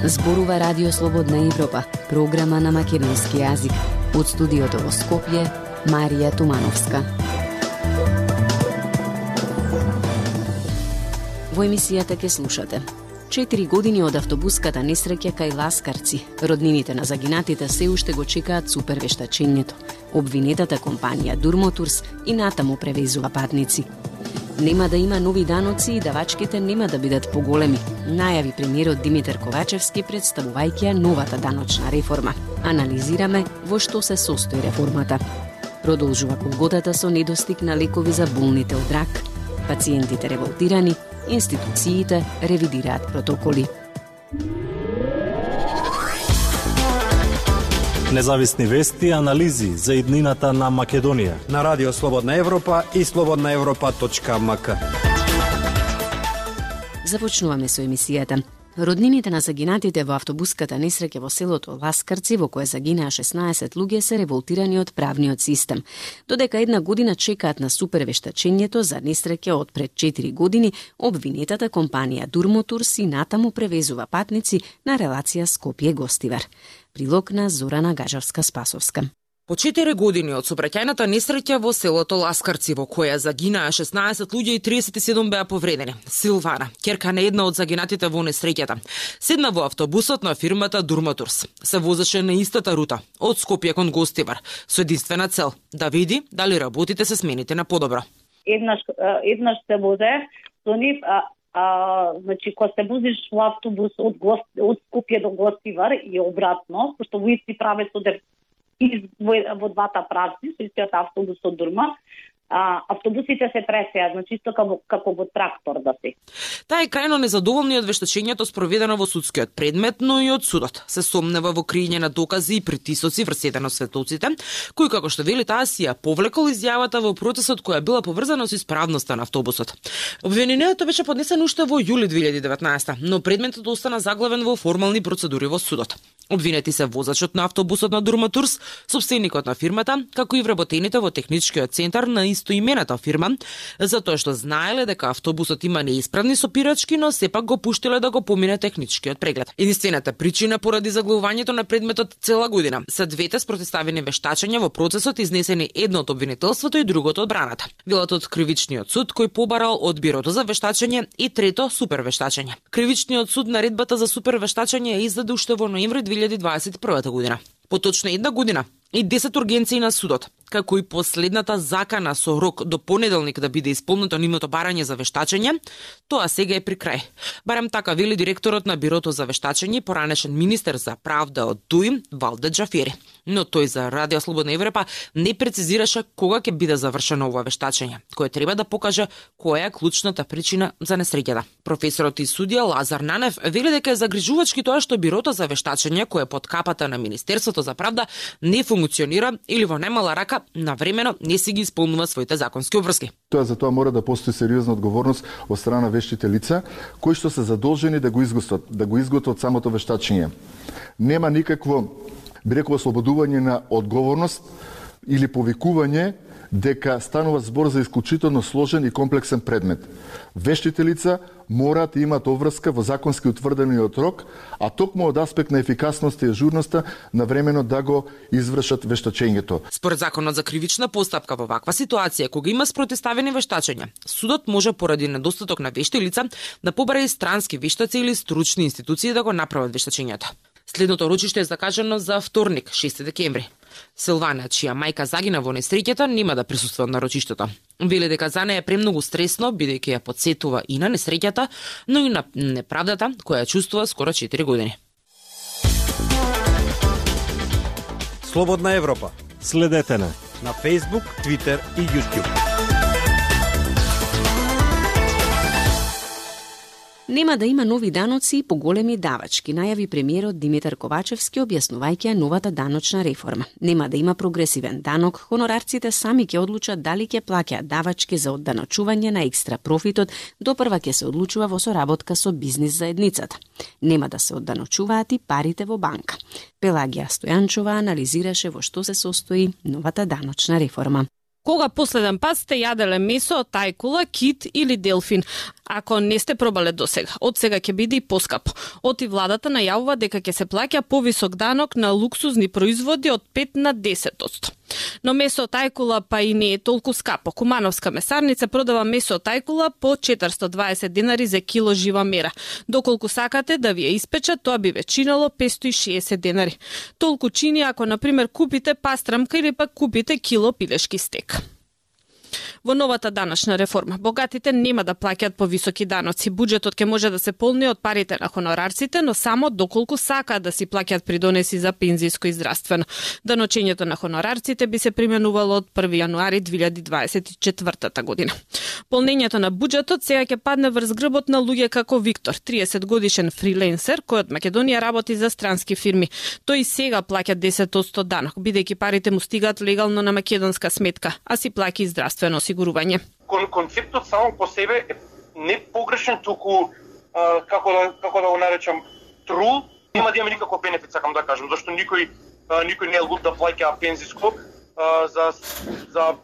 Зборува Радио Слободна Европа, програма на македонски јазик. Од студиото во Скопје, Марија Тумановска. Во емисијата ке слушате: 4 години од автобуската несреќа кај Ласкарци. Роднините на загинатите се уште го чекаат супервештачењето. Обвинетата компанија Durmoturs и натаму превезува патници. Нема да има нови даноци и давачките нема да бидат поголеми, најави премиерот Димитар Ковачевски представувајќи новата даночна реформа. Анализираме во што се состои реформата. Продолжува голготата со недостиг на лекови за болните од рак. Пациентите револтирани, институциите ревидираат протоколи. Независни вести и анализи за иднината на Македонија на Радио Слободна Европа и slobodnaevropa.mk. Започнуваме со емисијата. Роднините на загинатите во автобуската несреќа во селото Ласкарци, во кое загинаа 16 луѓе, се револтирани од правниот систем. Додека една година чекаат на супервештачењето за несреќа од пред 4 години, обвинетата компанија Durmoturs и натаму превезува патници на релација Скопје-Гостивар. Прилог на Зорана Гажавска-Спасовска. По 4 години од сообраќајната несреќа во селото Ласкарци, во која загинаа 16 луѓе и 37 беа повредени, Силвана, ќерка на една од загинатите во несреќата, седна во автобусот на фирмата Durmoturs. Се возеше на истата рута, од Скопје кон Гостивар, со единствена цел да види дали работите се смените на подобро. Еднаш се возе со нив, значи кога се возиш во автобус од Скопје до Гостивар и обратно, пошто во исти правец одев во двата правци, со истиот автобус од Дурма, автобусите се пресеа, значи исто како во трактор да се. Таа е крајно незадоволна од вештачењето спроведено во судскиот предмет, но и од судот. Се сомнева во криење на докази и притисоци врз еден од светоците, кој, како што вели таа, си ја повлекол изјавата во процесот која била поврзана со исправноста на автобусот. Обвинението беше поднесено уште во јули 2019, но предметот остана заглавен во формални процедури во судот. Обвинети се возачот на автобусот на Durmoturs, собственикот на фирмата, како и вработените во техничкиот центар на истоимената фирма, затоа што знаеле дека автобусот има неисправни сопирачки, но сепак го пуштиле да го помине техничкиот преглед. Единствената причина поради заглавувањето на предметот цела година се двете спротивставени вештачења во процесот, изнесени едно од обвинителството и другото од браната. Билат од кривичниот суд кој побарал од бирото за вештачење и трето супервештачење. Кривичниот суд наредбата за супервештачење ја издаде уште во ноември 2021 година. Поточно една година и 10 ургенции на судот, како и последната закана со рок до понеделник да биде исполнето нивното барање за вештачење, тоа сега е при крај. Барем така вели директорот на Бирото за вештачење и поранешен министер за правда од ДУИ, Валде Џафери. Но тој за Радио Слободна Европа не прецизираше кога ќе биде завршено ова вештачење, кое треба да покаже која е клучната причина за несреќата. Професорот и судија Лазар Нанев вели дека е загрижувачки тоа што Бирото за вештачење, кое е под капата на Министерството за правда, не функционира или во најмала рака навремено не си ги исполнува своите законски обврски. За тоа мора да постои сериозна одговорност од страна на вештите лица, кои што се задолжени да го изготват самото вештачење. Нема никакво, би рекол, ослободување на одговорност или повикување дека станува збор за исклучително сложен и комплексен предмет. Вештите лица мораат да имаат обврска во законски утврдениот рок, а токму од аспект на ефикасноста и ажурноста на времено да го извршат вештачењето. Според законот за кривична постапка во ваква ситуација, кога има спротивставени вештачења, судот може поради недостаток на вешти лица да побара и странски вештаци или стручни институции да го направат вештачењето. Следното рочиште е закажано за вторник, 6 декември. Силвана, чија мајка загина во несреќата, нема да присуствува на рочиштето. Вели дека за неја е премногу стресно, бидејќи ја потсетува и на несреќата, но и на неправдата која чувствува скоро 4 години. Слободна Европа. Следете на Facebook, Twitter и YouTube. Нема да има нови даноци и поголеми давачки, најави премиерот Димитар Ковачевски објаснувајќи новата даночна реформа. Нема да има прогресивен данок, хонорарците сами ќе одлучат дали ќе плаќаат давачки за одданочување на екстра профитот, допрва ќе се одлучува во соработка со бизнис заедницата. Нема да се одданочуваат и парите во банка. Пелагија Стојанчова анализираше во што се состои новата даночна реформа. Кога последен пат сте јаделе месо од тајкула, кит или делфин? Ако не сте пробале досега, од сега ќе биде и поскапо. Оти владата најавува дека ќе се плаќа повисок данок на луксузни производи од 5 на 10%. Но месо од ајкула па и не е толку скапо. Кумановска месарница продава месо од ајкула по 420 денари за кило жива мера. Доколку сакате да ви ја испечат, тоа би ве чинело 560 денари. Толку чини ако, например, купите пастрамка или пак купите кило пилешки стек. Во новата даночна реформа, богатите нема да плаќаат повисоки даноци. Буџетот ќе може да се полни од парите на хонорарците, но само доколку сакаат да си плаќаат придонеси за пензиско и здравствено. Даночењето на хонорарците би се применувало од 1 јануари 2024 година. Полнењето на буџетот сега ќе падне врз грбот на луѓе како Виктор, 30 годишен фриленсер кој од Македонија работи за странски фирми. Тој сега плаќа 10% данок, бидејќи парите му стигаат легално на македонска сметка, а си плаќа и здравствено осигурување. Концептот само по себе е не погрешен, туку како да го наречам трул, нема да има никаков бенефит, сакам да кажам, зашто никој не е луд да плаќа пензиско за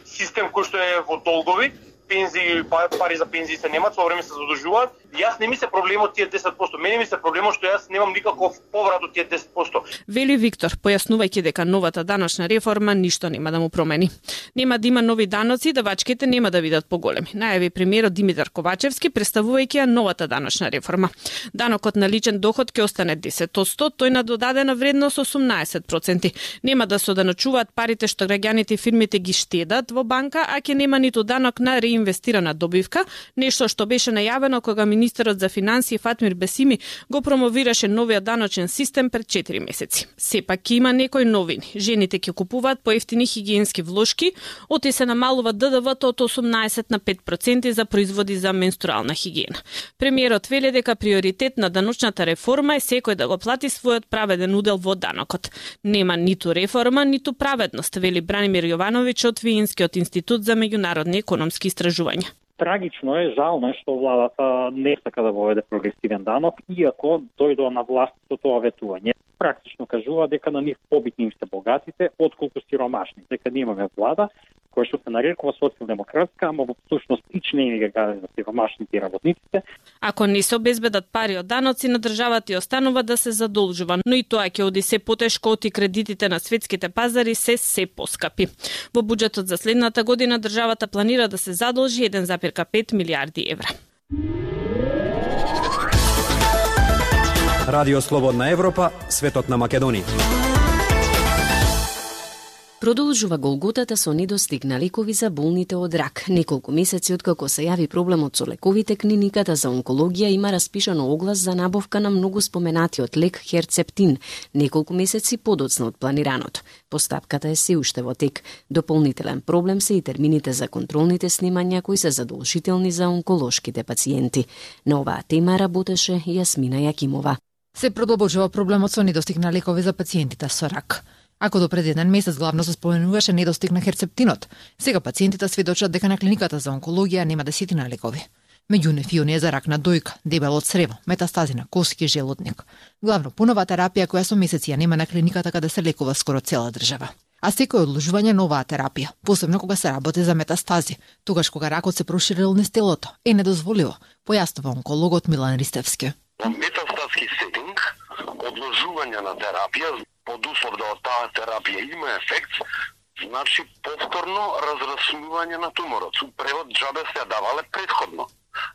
систем кој што е во долгови. Пензии, пари за пензии се немат, со време се задржуваат. Јас не ми се проблемот тие 10%. Мене ми се проблемот што јас немам никаков поврат од тие 10%. Вели Виктор, појаснувајќи дека новата даночна реформа ништо нема да му промени. Нема да има нови даноци, давачките нема да бидат поголеми. Најави премиерот Димитар Ковачевски представувајќи ја новата даночна реформа. Данокот на личен доход ќе остане 10%, тој на додадена вредност 18%. Нема да се оданочуваат парите што граѓаните и фирмите ги штедат во банка, а ќе нема ниту данок на реинвестирана добивка, нешто што беше најавено кога министерот за финансии Фатмир Бесими го промовираше новиот даночен систем пред 4 месеци. Сепак ќе има некои новини. Жените ќе купуваат поевтини хигиенски влошки, оти се намалува ДДВ-то од 18 на 5% за производи за менструална хигиена. Премиерот вели дека приоритет на даночната реформа е секој да го плати својот праведен удел во данокот. Нема ниту реформа, ниту праведност, вели Бранимир Јовановиќ од Виенскиот институт за меѓународни економски истражувања. Трагично е, жално е што владата не сака да воведе прогресивен данок, иако дојдоа на власт со тоа ветување. Практично кажува дека на нив побитни им се богатите, отколку сиромашни. Дека немаме влада која што се нарекува социјалдемократска, ама во всушност и члени ги гади за сиромашните и работниците. Ако не се обезбедат пари од даноци, на државата ја останува да се задолжува, но и тоа ќе оди се потешко, оти кредитите на светските пазари се поскапи. Во буџетот за следната година државата планира да се задолжи 1,5 милиарди евра. Радио Слободна Европа, светот на Македонија. Продолжува голготата со недостиг на лекови за болните од рак. Неколку месеци откако се јави проблемот со лековите, клиниката за онкологија има распишано оглас за набавка на многу споменатиот лек Херцептин, неколку месеци подоцна од планираното. Постапката е се уште во тек. Дополнителен проблем се и термините за контролните снимања кои се задолжителни за онколошките пациенти. На оваа тема работеше Јасмина Јакимова. Се продолжува проблемот со недостиг на лекови за пациентите со рак. Ако до пред еден месец главно се споменуваше недостиг на херцептинот, сега пациентите сведочат дека на клиниката за онкологија нема десетина лекови. Меѓу нив и оние за рак на дојка, дебело црево, метастази на коски, желудник. Главно пунова терапија која со месеци ја нема на клиниката каде се лекува скоро цела држава. А секој одложување на оваа терапија, посебно кога се работи за метастази, тогаш кога ракот се проширил низ телото, е недозволиво, појаснува онкологот Милан Ристевски. Во метастатски сетинг, одложување на терапија, под услов да таа терапија има ефект, значи повторно разраснување на туморот. Превод џабе се давале предходно.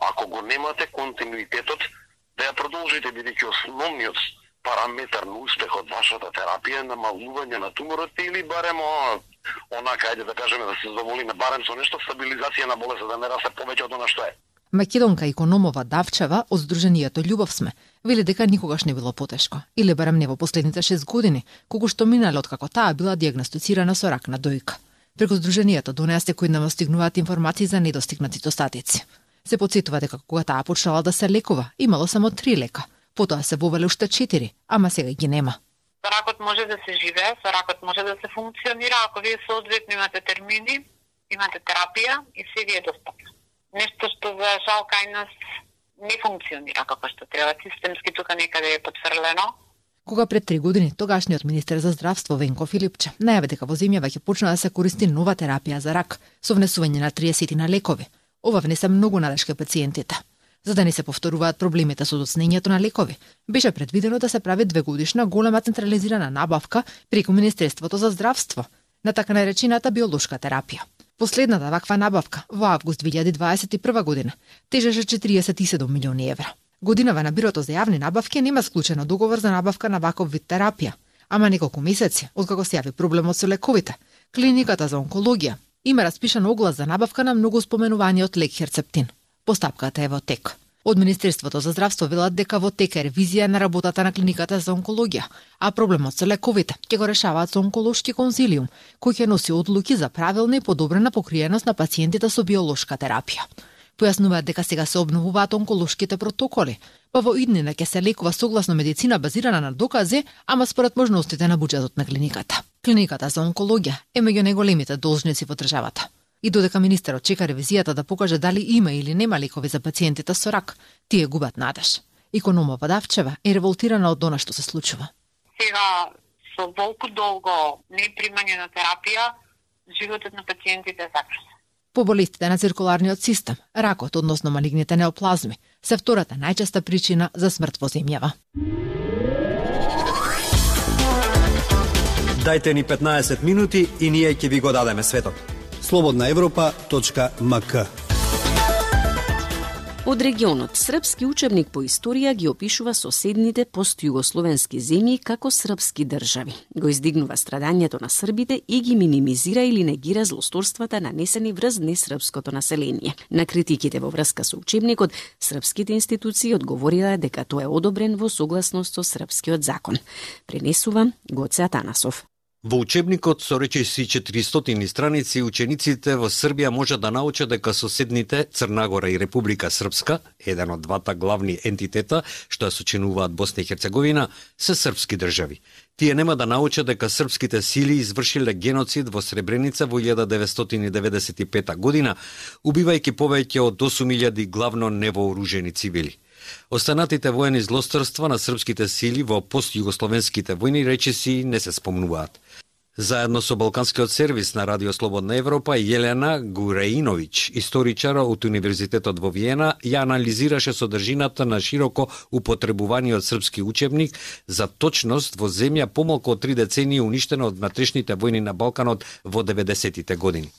Ако го немате континуитетот, да ја продолжите, бидејќи основниот параметар на успех од вашата терапија е намалување на туморот или барем онака, ајде да кажеме, да се задоволиме барем со нешто стабилизација на болест, да не расте повеќе од она што е. Македонка Икономова Давчева од Сдруженијето Љубов сме вели дека никогаш не било потешко, или барем не во последните 6 години, кога што минале откако таа била дијагностицирана со рак на дојка. Преку Сдруженијето до неа секојдневно стигнуваат информации за недостиг на цитостатици. Се потсетува дека кога таа почнала да се лекува, имало само 3 лека, потоа се вовеле уште 4, ама сега ги нема. Со ракот може да се живее, со ракот може да се функционира, ако вие соодветно имате термини, имате терапија и се ви е достапно. Нешто што за жал кај нас не функционира како што треба, системски тука некаде е потфрлено. Кога пред 3 години тогашниот министер за здравство Венко Филипче најави дека во земјава ќе почне да се користи нова терапија за рак со внесување на 30 на лекови, Ова внесе многу надеж кај пациентите. За да не се повторуваат проблемите со доцнењето на лекови, беше предвидено да се прави 2-годишна голема централизирана набавка преку Министерството за здравство на така наречената биолошка терапија. Последната ваква набавка во август 2021 година тежеше 47 милиони евра. Годинава на Бирото за јавни набавки нема склучено договор за набавка на ваков вид терапија, ама неколку месеци откако се јави проблемот со лековите, клиниката за онкологија има распишан оглас за набавка на многу споменуваниот лек Херцептин. Постапката е во тек. Од Министерството за здравство велат дека во тек е ревизија на работата на клиниката за онкологија, а проблемот со лековите ќе го решаваат со онколошки консилиум, кој ќе носи одлуки за правилна и подобрена покриеност на пациентите со биолошка терапија. Појаснуваат дека сега се обновуваат онколошките протоколи, па во иднина ќе се лекува согласно медицина базирана на докази, ама според можностите на буџетот на клиниката. Клиниката за онкологија е меѓу најголемите должници во државата. И додека министерот чека ревизијата да покаже дали има или нема лекови за пациентите со рак, тие губат надеж. Икономова Давчева е револтирана од она што се случува. Сега со волку долго непримање на терапија, животот на пациентите е загрозен. По болестите на циркуларниот систем, ракот, односно малигните неоплазми, се втората најчеста причина за смрт во земјава. Дајте ни 15 минути и ние ќе ви го дадеме светот. slobodnaevropa.mk. Од регионот, српски учебник по историја ги опишува соседните постјугословенски земји како српски држави. Го издигнува страдањето на србите и ги минимизира или негира злосторствата нанесени врз несрпското население. На критиките во врска со учебникот, српските институции одговорилаа дека тој е одобрен во согласност со српскиот закон. Пренесува Гоце Атанасов. Во учебникот со речиси 400 страници, учениците во Србија можат да научат дека соседните Црнагора и Република Српска, еден од двата главни ентитета што ја сочинуваат Босна и Херцеговина, се српски држави. Тие нема да научат дека српските сили извршиле геноцид во Сребреница во 1995 година, убивајќи повеќе од 8000 главно невооружени цивили. Останатите воени злосторства на српските сили во постјугословенските војни речиси не се спомнуваат. Заедно со Балканскиот сервис на Радио Слободна Европа, Јелена Гуреиновиќ, историчар од Универзитетот во Виена, ја анализираше содржината на широко употребуваниот српски учебник за точност во земја помалку од 3 децении уништена од внатрешните војни на Балканот во 90-тите години.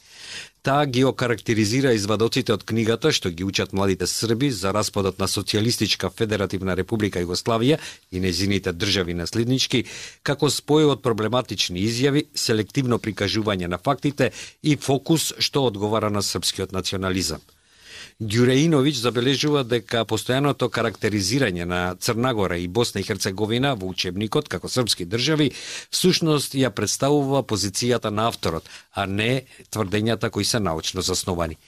Таа ги окарактеризира извадоците од книгата што ги учат младите срби за распадот на Социјалистичка Федеративна Република Југославија и нејзините држави наследнички како спој од проблематични изјави, селективно прикажување на фактите и фокус што одговара на српскиот национализам. Ѓуреиновиќ забележува дека постојаното карактеризирање на Црнагора и Босна и Херцеговина во учебникот како српски држави всушност ја представува позицијата на авторот, а не тврдењата кои се научно засновани.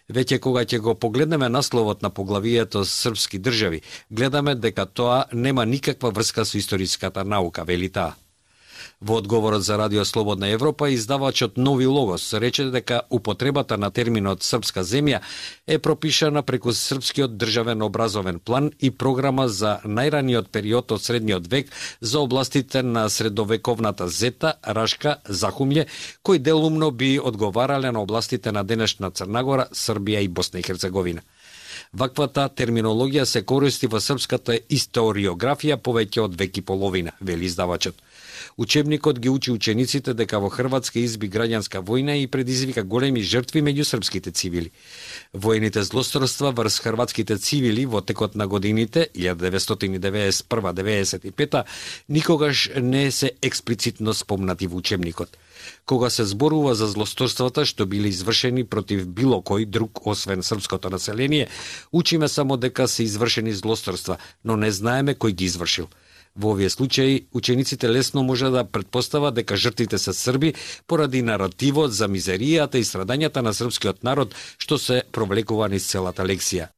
Веќе кога ќе го погледнеме насловот на поглавието српски држави, гледаме дека тоа нема никаква врска со историската наука, вели таа. Во одговорот за Радио Слободна Европа, издавачот Нови Логос рече дека употребата на терминот српска земја е пропишана преку српскиот државен образовен план и програма за најраниот период од средниот век за областите на средовековната Зета, Рашка, Захумље, кои делумно би одговарале на областите на денешна Црнагора, Србија и Босна и Херцеговина. Ваквата терминологија се користи во српската историографија повеќе од век и половина, вели издавачот. Учебникот ги учи учениците дека во Хрватска изби граѓанска војна и предизвика големи жртви меѓу српските цивили. Воените злосторства врз хрватските цивили во текот на годините 1991-95 никогаш не се експлицитно спомнати во учебникот. Кога се зборува за злосторствата што биле извршени против било кој друг освен српското население, учиме само дека се извршени злосторства, но не знаеме кој ги извршил. Во овие случаи, учениците лесно може да претпостават дека жртвите се срби поради наративот за мизеријата и страдањата на српскиот народ што се провлекува низ целата лекција.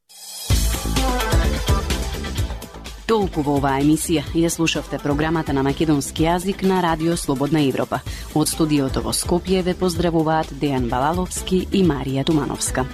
Толку во оваа емисија ја слушавте програмата на македонски јазик на Радио Слободна Европа. Од студиото во Скопје ве поздравуваат Дејан Балаловски и Марија Тумановска.